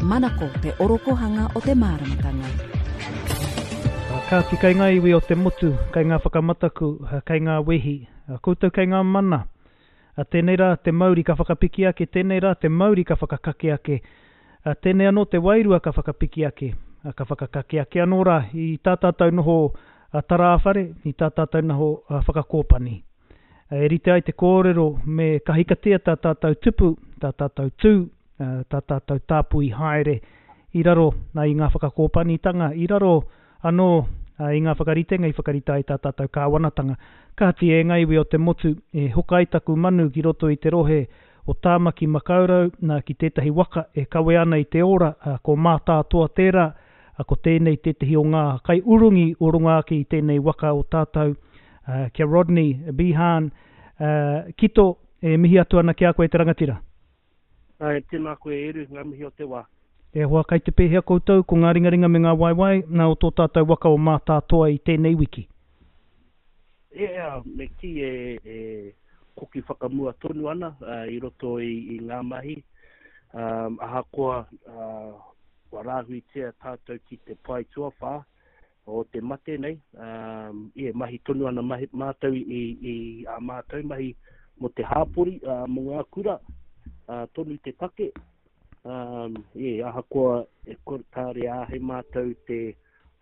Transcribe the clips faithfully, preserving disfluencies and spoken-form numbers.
Manako te orokohanga o te māramatanga. Kāti kei ngā iwi o te motu, kei ngā whakamataku, kei ngā wehi, koutou kei ngā mana. Tēnei rā te mauri ka whakapiki ake, tēnei rā te mauri ka whakakake ake, tēnei anō te wairua ka whakapiki ake, ka whakakake ake anō rā i tā tātou noho tarāwhare, i tā tātou noho whakakōpani. E rite ai te kōrero me kahikatea tā tātou tupu, tā tātou tū, tā tātou tāpui haere i raro i ngā whakakōpanitanga, i raro anō i ngā whakaritenga i whakarita ai tā tātou kāwanatanga. Kāti e ngā iwi o te motu, e hoka ai taku manu ki roto i te rohe o Tāmaki Makaurau nā ki tētahi waka e kawe ana i te ora, ko Mātātoa tērā, ko tēnei tētahi o ngā kaiurungi o runga ake i tēnei waka o tātou, kia Rodney Behan. Kito, e mihi atu ana ki a koe te rangatira. Ai, tēnā koe Eru, ngā mihi o te wā. E hoa, kai te pēhea koutou, ko ngā ringaringa me ngā waewae nā o tō tātou waka o Mātātoa i tēnei wiki? Ea, me kī e, e koki whakamua tonu ana uh, i roto i, i ngā mahi. Um, ahakoa uh, kua rāhuitia tātou ki te pae tuawhā o te mate nei, um, e, mahi tonu ana mahi, mātou i, i a mātou mahi mō te hāpori, uh, mō ngā kura, uh, tonu te take. Um, e, ahakoa e kore kāre āhei mātou te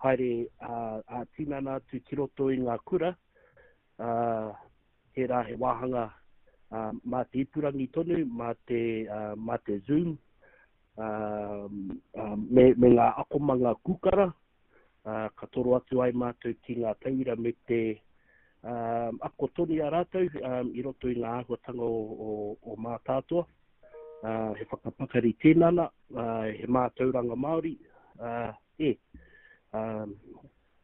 haere uh, a tinana atu ki roto i ngā kura, uh, tērā he wāhanga uh, mā te ipurangi tonu, mā te, uh, mā te Zoom, uh, uh, me, me ngā akomanga kūkara, uh, ka toro atu ai mātou ki ngā tauira me te um, ako tonu i a rātou um, i roto i ngā āhuatanga o, o, o Mātātoa. Uh, he whakapakari tinana, uh, he mātauranga Māori, uh, e, um,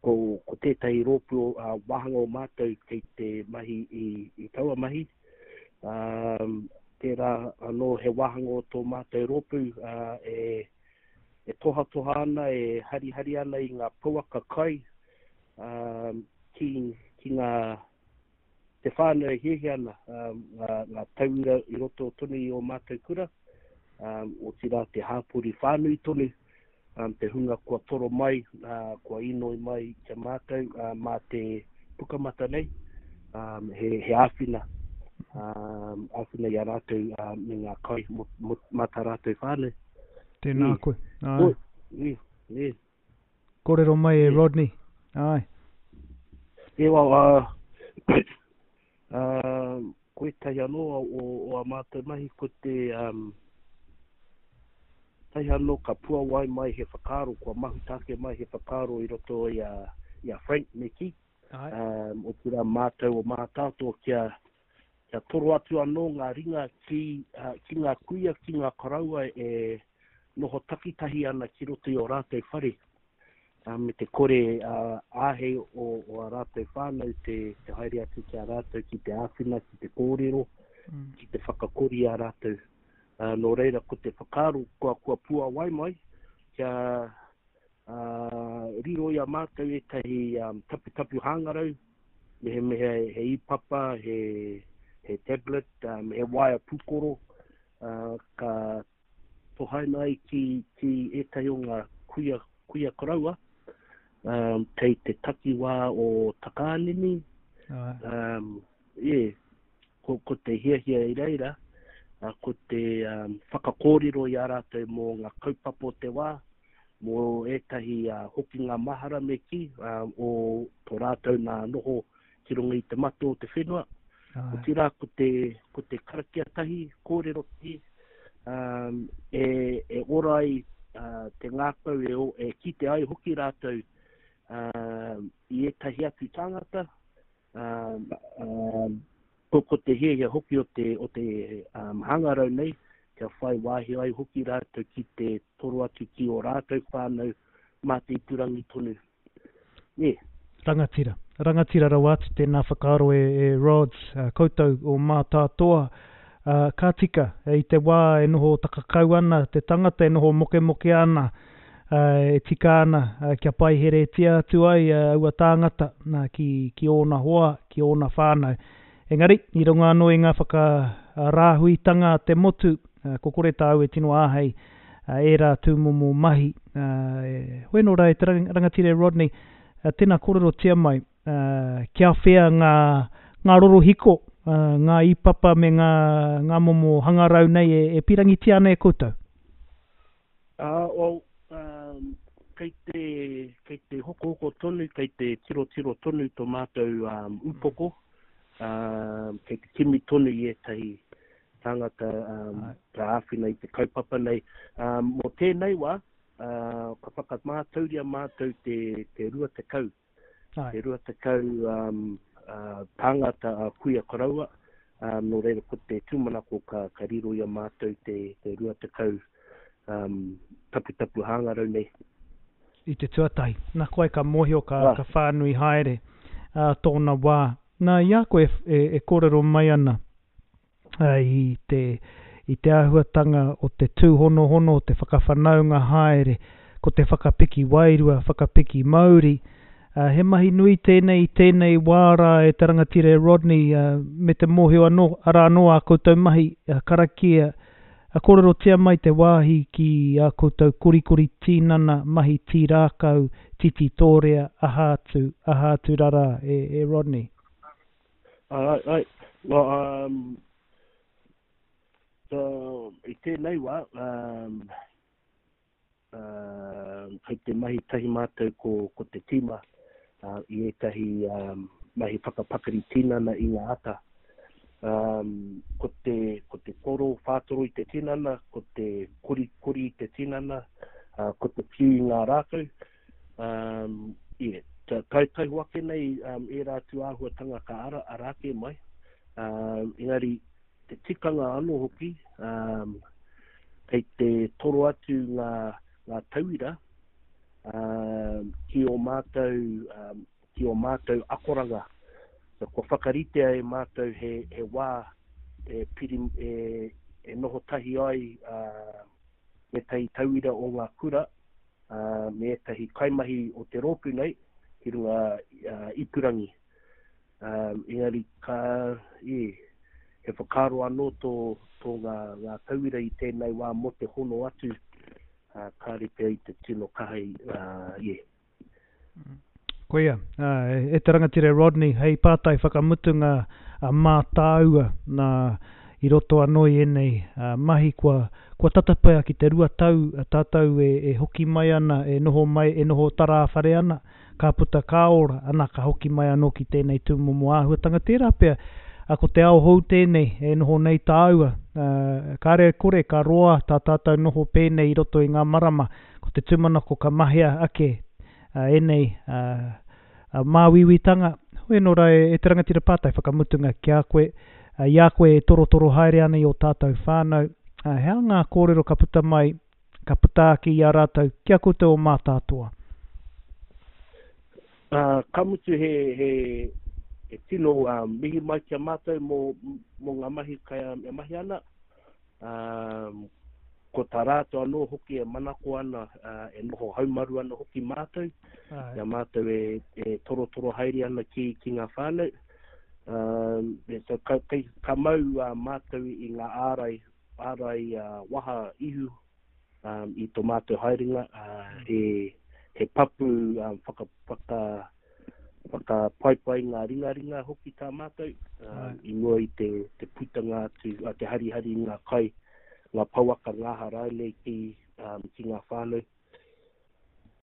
ko, ko tētahi rōpū uh, wāhanga o mātou kei te mahi i, i taua mahi. Um, tērā anō he wāhanga o tō mātou rōpū uh, e, e tohatoha ana, e harihari ana i ngā pouaka kai um, ki, ki ngā te whānau e hiahia ana, um, ngā, ngā tauira i roto tonu i o mātou kura, um, otirā te hāpori whānui tonu, um, te hunga kua toro mai, uh, kua inoi mai kia mātou uh, mā te pukamata nei, um, he, he āwhina, um, āwhina i a rātou uh, me ngā kai mo, mo, mā tā rātou whānau. Tēnā Mm. koe. Ai. Oi, e, e. Kōrero mai e E. Rodney. Ai. E wā, uh, uh, ko ētahi anō o, o, o a mātou mahi ko te um, tahi anō ka puawai mai he whakaaro, kua mahuta ake mai he whakaaro i roto i a, i a Frank me kī. Ai. Um, otirā mātou o Mātātoa kia, kia toro atu anō ngā ringa ki, uh, ki ngā kuia, ki ngā koroua e noho takitahi ana ki roto i o rātou whare. Uh, me te kore uh, āhei o, o a rātou whānau te, te haere atu ki a rātou ki te āwhina, ki te kōrero, Mm. ki te whakakori a rātou. Uh, nō reira, ko te whakaaro kua, kua puawai mai, kia uh, riro i a mātou ētahi um, taputapu hangarau, mehemea he ipapa, he, he tablet, um, he waea pūkoro, uh, ka tohaina ai ki, ki ētahi o ngā kuia, kuia koroua, um, kei te takiwā o Takaanini, Ai. um, e, ko, ko te hiahia i reira, uh, ko te um, whakakōrero i a rātou mō ngā kaupapa o te wā, mō ētahi uh, hokinga mahara me kī, uh, o tō rātou nā noho ki runga i te mata o te whenua. Ai. Otirā ko te, ko te karakia tahi, kōrero tahi, um, e, e ora ai uh, te ngākau e, o- e kite ai hoki rātou um, i ētahi atu tāngata, um, um, ko, ko te hiahia hoki o te, o te um, hangarau nei, kia whai wāhi ai hoki rātou ki te toro atu ki o rātou whānau mā te ipurangi tonu. E. Rangatira. Rangatira rawa atu tēnā whakaaro e, e Rods, uh, koutou o Mātātoa. Uh, ka tika, i te wā e noho takakau ana, te tangata e noho mokemoke ana, uh, e tika ana, uh, kia paiheretia atu ai uh, aua tāngata nā, ki, ki ōna hoa, ki ōna whānau. Engari, i runga anō i ngā whakarāhuitanga a te motu, uh, ko kore tāu e tino āhei, ērā tūmomo mahi. Hoi anō rā e te rangatira e Rodney, tēnā kōrerotia mai, kia whea ngā, ngā rorohiko, ngā ipapa me ngā, ngā momo hangarau nei e, e pirangitia ana e koutou? Uh, well, um, kei te, kei te hokohoko tonu, kei te tirotiro tonu tō mātou um, upoko, um, kei te kimi tonu i ētahi tāngata um, ka āwhina i te kaupapa nei. Um, mō tēnei wā, uh, ka whakamātauria mātou te, te rua tekau. Ai. Te rua tekau um, uh, tāngata a kuia koroua, um, nō reira ko te tūmanako ka, ka riro i a mātou te, te rua tekau um, taputapu hangarau nei. I te tuatahi. Nā koe ka mōhio ka, ah. ka whānui haere uh, tōna wā. Nā, i a koe e, e, e kōrero mai ana uh, i te, i te āhuatanga o te tūhonohono, o te whakawhanaunga haere, ko te whakapiki wairua, whakapiki mauri. Uh, he mahi nui tēnei, tēnei wā rā e te rangatira e Rodney, uh, me te mōhio anō, arā anō a koutou mahi, uh, karakia, a kōrerotia mai te wāhi ki a koutou korikori tīnana, mahi tīrākau, titi tōrea, aha atu, aha atu rarā, e, e Rodney. Ai, ai. Well, um, so, i tēnei wā, um, uh, kei te mahi tahi mātou ko, ko te tīma uh, i ētahi um, mahi whakapakari tinana i ngā ata. Um, ko te, ko te koro whātoro i te tinana, ko te kori kori i te tinana, uh, ko te piu i ngā rākau. Um, yeah, tai taiho ake nei um, ērā atu āhuatanga ka ara, ara ake mai. Um, engari, te tikanga anō hoki, um, kei te toro atu ngā, ngā tauira um, ki o mātou, um, ki o mātou akoranga. So, kua whakaritea e mātou he, he wā e, piri, e, e noho tahi ai uh, me tahi tauira o ngā kura, uh, me ētahi kaimahi o te rōpū nei ki runga uh, ipurangi. Um, engari ka, e, he whakaaro anō tō, tō ngā, ngā tauira i tēnei wā mō te hono atu, uh, kāre pea i te tino kaha i, uh, yeah. Koia, e te rangatira Rodney, hei pātai whakamutunga mā tāua nā i roto anō i ēnei mahi kua, kua tata pea ki te rua tau tātou e, e hoki mai ana, e noho mai, e noho tarāwhare ana, ka puta ka ora, ana ka hoki mai anō ki tēnei tūmomo āhuatanga. Tērā pea, ko te ao hou tēnei e noho nei tāua, kāre kore ka roa tā tātou noho pēnei i roto i ngā marama, ko te tūmanako ka mahea ake ēnei māuiuitanga. Hoi anō rā e te rangatira pātai whakamutunga ki a koe, i a koe e torotoro haere ana i o tātou whānau, he aha ngā kōrero ka puta mai, ka puta ake i a rātou, ki a koutou o Mātātoa? Uh, ka mutu he, he, he tino uh, mihi mai ki a mātou mō, mō ngā mahi kai e mahi ana. Um, ko tā rātou anō hoki e manako ana, uh, e noho haumaru ana hoki mātou. Ai. Ia mātou e, e torotoro haere ana ki, ki ngā whānau. Um, so ka, ka, ka mau uh, mātou i ngā ārai, ārai uh, waha ihu um, i tō mātou haerenga. Uh, he, he papu um, whaka, whaka, whakapaipai ngā ringaringa hoki tā mātou um, i mua i te, te putanga atu, uh, te harihari i ngā kai, ngā pouaka ngāha rānei ki, um, ki ngā whānau.